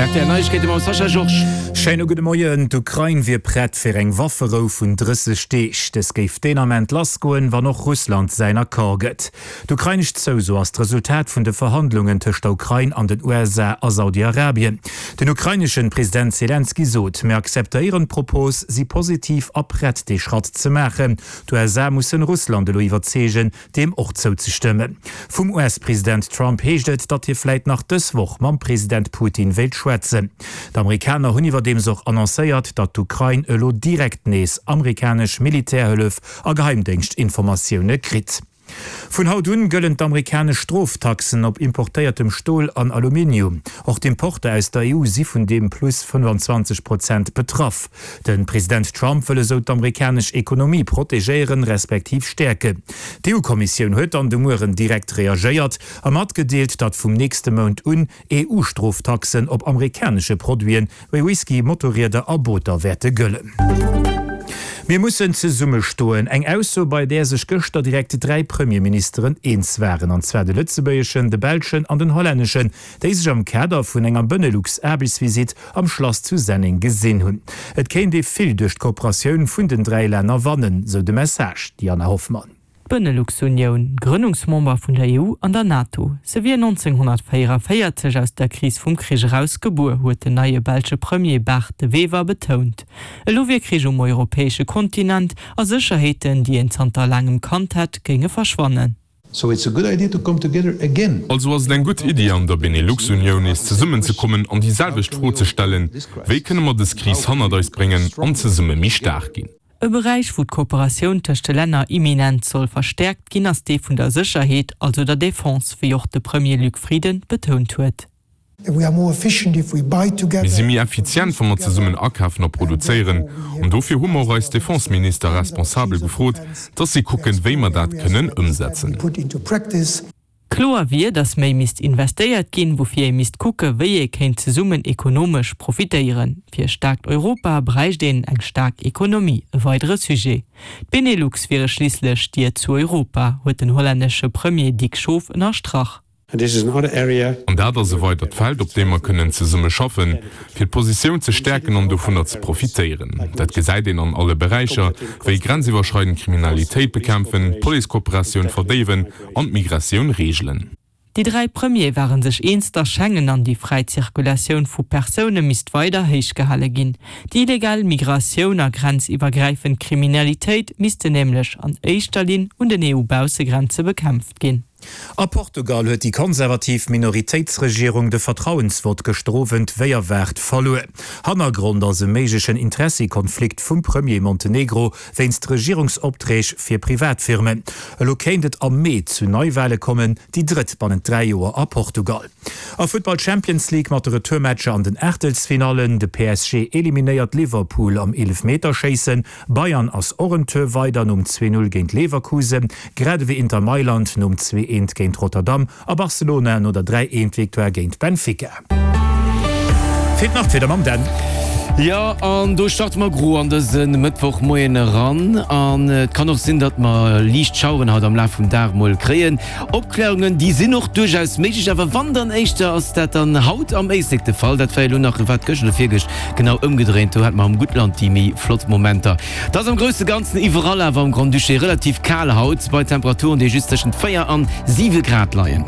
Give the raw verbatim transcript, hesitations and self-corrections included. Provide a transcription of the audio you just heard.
Rtl Neiegkeete mam Sascha Georges. Schéine gudde Moien. D'Ukrain wier prett fir eng Wafferou vun drësseg Deeg. Dës géif deen Ament lassgoen, wann och Russland säin Accord gëtt. D'ukrainesch Zouso ass d'Resultat vun de Verhandlungen tëscht der Ukrain an den U S A a Saudi-Arabien. Den ukraineschen President Selenskyj sot, Mir akzeptéieren d'Propos, si positiv a prett dee Schratt ze maachen. D'U S A mussen Russland elo iwwerzeegen, deem och zouzestëmmen. Vum U S-President Trump heescht et, datt hie vläit nach dës Woch mam President Putin wéilt schwätzen. D'Amerikaner hunn iwwerdeems och annoncéiert, datt d'Ukrain elo direkt nees amerikanesch Militärhëllef a Geheimdéngschtinformatioune kritt. Vun haut un gëllen d'amerikanesch Stroftaxen op importéiertem Stol an Aluminium. Och d'Importer aus der E U si vun deem Plus fënnefanzwanzeg Prozent betraff. De President Trump wëll esou d'amerikanesch Ekonomie protegéieren, respektiv stäerken. D'E U-Kommissioun huet dann de Mueren direkt reagéiert a matgedeelt, datt vum nächste Mount un E U-Stroftaxen op amerikanesche Produiten wéi Whisky, Motorrieder a Booter wäerte gëllen. Mir mussen zesummestoen. Eng Ausso, bei där sech gëschter direkt dräi Premierministeren eens waren, an zwar de lëtzebuergeschen, de belschen an den hollänneschen, déi sech am Kader vun enger Benelux-Aarbechtsvisitt am Schlass zu Senneng gesinn hunn. Et kéint ee vill duerch d'Kooperatioun vun den dräi Länner wannen, sou de Message, Diana Hoffmann. D'Benelux-Unioun, Grënnungsmember vun der E U an der NATO. Se wier nonzénghonnertvéieravéierzeg aus der Kris vum Krich eraus gebuer, huet den neie belsche Premier Bart De Wever betount. Elo wier Krich um europäesche Kontinent a Sécherheeten, déi een zanter laangem kannt hätt, géinge verschwannen. So it's a good idea to come together again. Also ass et eng gutt Iddi an der Benelux-Unioun nees zesummenzekommen an déi selwecht Fro ze stellen, Wéi kënne mer dës Kris hannert eis bréngen an zesumme méi staark ginn? E Beräich, wou d'Kooperatioun tëscht de Länner imminent soll verstäerkt ginn, ass dee vun der Sécherheet, also der Defense, wéi och de Premier Luc Frieden betount huet. Mir si méi effizient, wa mer zesummen akafen a produzéieren. An dofir hu mer och eis Defenseminister responsabel gefrot, dass si kucken, wéi mer dat kënnen ëmsetzen. Kloer wier, datt méi misst investéiert ginn, woufir ee misst kucke wéi ee kéint zesummen ekonomesch profitéieren. Fir e staarkt Europa bräicht een eng staark Ekonomie, e weidere Sujet. D'Benelux wiere schliisslech d'Dier zu Europa, huet den hollännesche Premier Dick Schoof ënnerstrach. An dat ass e weidert Feld, op deem mer kënnen zesumme schaffen, fir d'Positioun ze stäerken an dovunner ze profitéieren. Dat gesäit een an alle Beräicher, wéi grenziwwerschreidend Kriminalitéit bekämpfen, d'Policekooperatioun verdéiwen an d'Migratioun reegelen. Déi dräi Premiere ware sech eens, datt Schengen an déi fräi Zirkulatioun vu Persoune misst weider héich gehale ginn. Déi illegal Migratioun a grenziwwergräifend Kriminalitéit missten nämlech an éischter Linn un den E U-Baussegrenze bekämpft ginn. A Portugal huet déi konservativ Minoritéitsregierung de Vertrauensvott gëschter Owend wéi erwaart verluer. Hannergrond ass e méiglechen Interessekonflikt vum Premier Montenegro wéinst Regierungsopträg fir Privatfirmen. Elo kéint et am Mee zu Neiwale kommen, déi drëtt bannent dräi Joer a Portugal. A Futtball Champions League mat de Retourmatcher an den Aachtelsfinallen, De P S G eliminéiert Liverpool am Eelefmeterschéissen, Bayern ass och en Tour weider nom zwee Null géint Leverkusen, grad ewéi Inter Mailand nom zwee eent géint Rotterdam a Barcelona no der dräi eent Victoire géint Benfica. Fir d'Nachtwieder mam Dan. Jo, an do starte mer gro an dëse Mëttwochmoien eran. An et kann och sinn, datt mer liicht Schaueren haut am Laf vum Dag mol kréien. Opkläerungen, déi sinn och duerchaus méiglech, awer wann dann éischter ass dat dann haut am Éislek de Fall. Dat war jo elo nach, wat, gëscht oder virgëscht genau ëmgedréint, do hate mer am Guttland déi méi flott Momenter. Et ass am grousse Ganzen iwwerall awer am Grand-Duché relativ kal haut, bei Temperaturen, déi just tëschent véier an siwe Grad leien.